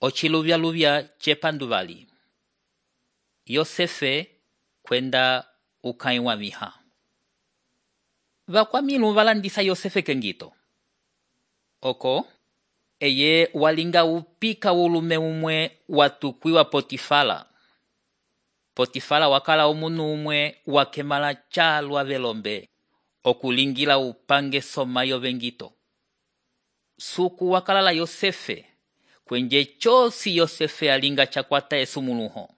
Ochiluvyaluvya chepanduvali. Yosefe kwenda ukãyi wamiha. Vakwamilu valandisa Yosefe kengito. Oko, eye walinga upika ulume umwe watukwiwa Potifala. Potifala wakala omunu umwe wakemala chalwa velombe, okulingila upange somayo vengito. Suku wakalala Yosefe, kwenje chosi Yosefe alinga chakwata esumuluho.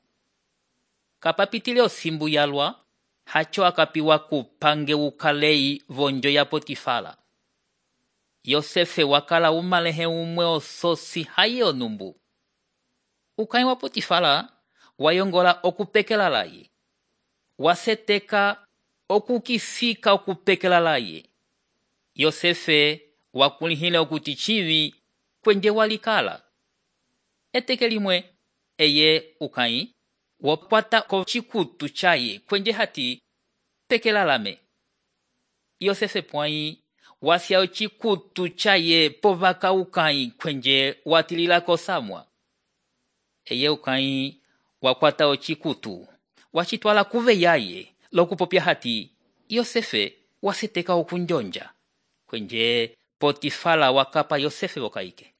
Kapapitile osimbu yalwa, hacho akapiwa kupange ukalei vonjo ya Potifala. Yosefe wakala umalehe umwe ososi haye onumbu. Ukãyi wa Potifala wayongola okupekela laye. Waseteka okukisika okupekela laye. Yosefe wakulihile okuti chivi kwenje walikala. Eteke limwe eye ukãyi wakwata ko chikutu chaye kwenje hati pekela lame. Yosefe pwãyi wasya ochikutu chaye povaka ukãyi kwenje watilila kosamwa. Eye ukãyi wakwata ochikutu wachitwala kuve yaye lokupopya hati Yosefe waseteka okunjonja kwenje Potifala wakapa Yosefe vokaike.